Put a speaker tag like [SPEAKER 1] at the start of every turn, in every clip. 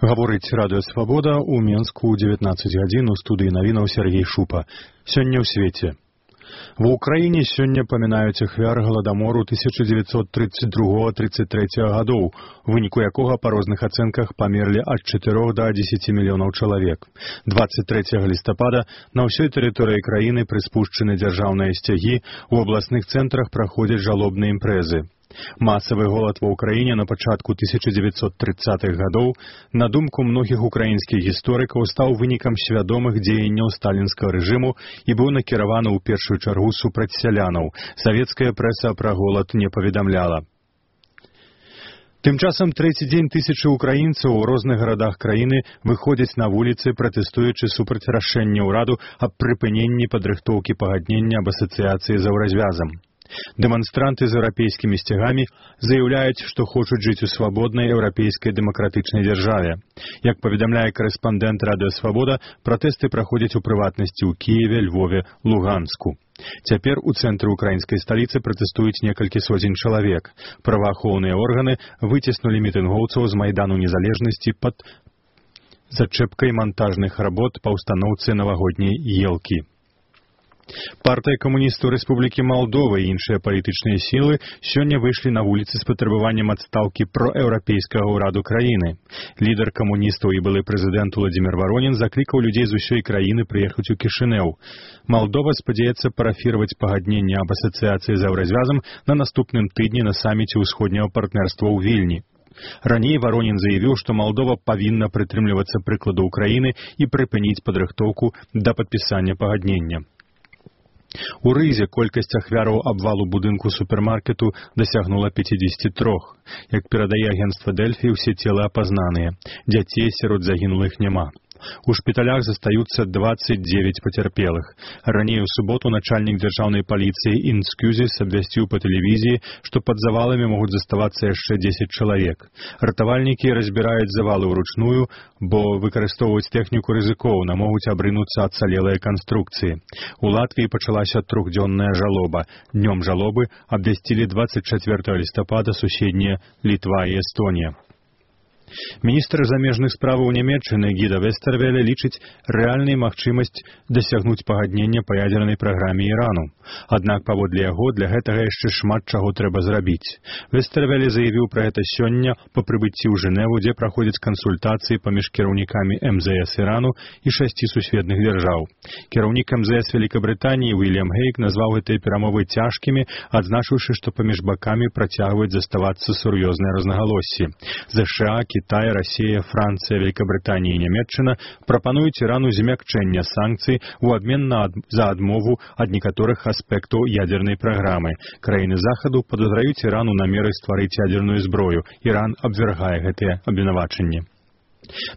[SPEAKER 1] Гаворыць Радыё Свабода ў Менску ў 19 гадзін у студыі навінаў Сергей Шупа. Сёння ў свеце. Ва ўкраіне сёння памінаюць ахвяр галадамору 1932-33 гадоў, у выніку якога па розных ацэнках памерлі ад 4 да 10 мільёнаў чалавек. 23 лістапада на ўсёй тэрыторыі краіны прыспушчаны дзяржаўныя сцягі, у абласных цэнтрах праходзяць жалобныя імпрэзы. Масавы голад ва ўкраіне на пачатку 1930-х гадоў, на думку многіх украінскіх гісторыкаў, стаў вынікам свядомых дзеянняў сталінскага рэжыму і быў накіраваны ў першую чаргу супраць сялянаў. Савецкая прэса пра голад не паведамляла. Тым часам трэці дзень тысячы украінцаў у розных гарадах краіны выходзяць на вуліцы, пратэстуючы супраць рашэння ўраду аб прыпыненні падрыхтоўкі пагаднення аб асацыяцыі з еўразвязам. Дэманстранты з еўрапейскімі сцягамі заяўляюць, што хочуць жыць у свабоднай еўрапейскай дэмакратычнай дзяржаве. Як паведамляе карэспандэнт Радыё Свабода, пратэсты праходзяць у прыватнасці ў Кіеве, Львове, Луганску. Цяпер у цэнтры украінскай сталіцы пратэстуюць некалькі соцень чалавек. Праваахоўныя органы выціснулі мітынгоўцаў з Майдану Незалежнасці пад зачэпкай мантажных работ па ўстаноўцы навагодняй елкі. Партыя камуністаў Рэспублікі Малдова і іншыя палітычныя сілы сёння выйшлі на вуліцы з патрабаваннем адстаўкі проеўрапейскага ўраду краіны. Лідар камуністаў і былы прэзідэнт Уладзімір Варонін заклікаў людзей з усёй краіны прыехаць у Кішынеў. Малдова спадзяецца парафіраваць пагадненне аб асацыяцыі з еўразвязам на наступным тыдні на саміце ўсходняга партнерства ў Вільні. Раней Варонін заявіў, што Малдова павінна прытрымлівацца прыкладу ўкраіны і прыпыніць падрыхтоўку да падпісання пагаднення. У Рызе колькасць ахвяраў абвалу будынку супермаркету дасягнула 53. Як перадае агенцтва Дэльфі, усе целы апазнаныя. Дзяцей сярод загінулых няма. У шпіталях застаюцца 29 пацярпелых. Раней у суботу начальнік дзяржаўнай паліцыі Інскюзіс абвясціў па тэлевізіі, што пад заваламі могуць заставацца яшчэ 10 чалавек. Ратавальнікі разбіраюць завалы ўручную, бо выкарыстоўваюць тэхніку рызыкоўна, могуць абрынуцца ацалелыя канструкцыі. У Латвіі пачалася трохдзённая жалоба. Днём жалобы абвясцілі 24 лістапада суседнія Літва і Эстонія. Міністр замежных справаў Нямецчыны Гіда Вестэрвеле лічыць рэальнай магчымасць дасягнуць пагаднення па ядзернай праграме Ірану. Аднак, паводле яго, для гэтага яшчэ шмат чаго трэба зрабіць. Вестэрвеле заявіў пра гэта сёння па прыбыцці ў Жэневу, дзе праходзяць кансультацыі паміж кіраўнікамі МЗС Ірану і 6 сусветных дзяржаў. Кіраўнік МЗС Вялікабрытаніі Уільям Гейк назваў гэтыя перамовы цяжкімі, адзначыўшы, што паміж бакамі працягваюць заставацца сур'ёзныя рознагалоссі. ЗША, Кітай, Расія, Францыя, Вялікабрытанія і Нямецчына прапануюць Ірану змякчэння санкцый у абмен за адмову ад некаторых аспектаў ядзернай праграмы. Краіны Захаду падазраюць Ірану намеры стварыць ядзерную зброю. Іран абвяргае гэтыя абвінавачанні.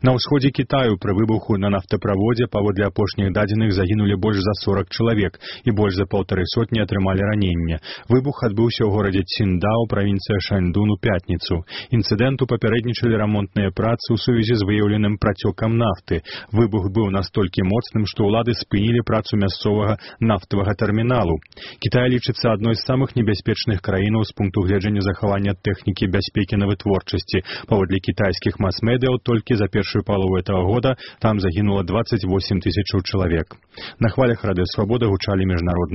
[SPEAKER 1] На ўсходзе Кітаю пры выбуху на нафтаправодзе паводле апошніх дадзеных загінулі больш за 40 чалавек і больш за 150 атрымалі ранення. Выбух адбыўся ў горадзе Ціндао, правінцыя Шаньдун, у пятніцу. Інцыдэнту папярэднічалі рамонтныя працы ў сувязі з выяўленым працёкам нафты. Выбух быў настолькі моцным, што ўлады спынілі працу мясцовага нафтавага тэрміналу. Кітай лічыцца адной з самых небяспечных краінаў з пункту гледжання захавання тэхнікі бяспекі на вытворчасці. Паводле кітайскіх мас-медыяў, толькі за першую палову этого года там загинуло 28 тысяч человек. На хвалях Радыё Свабода гучалі міжнародныя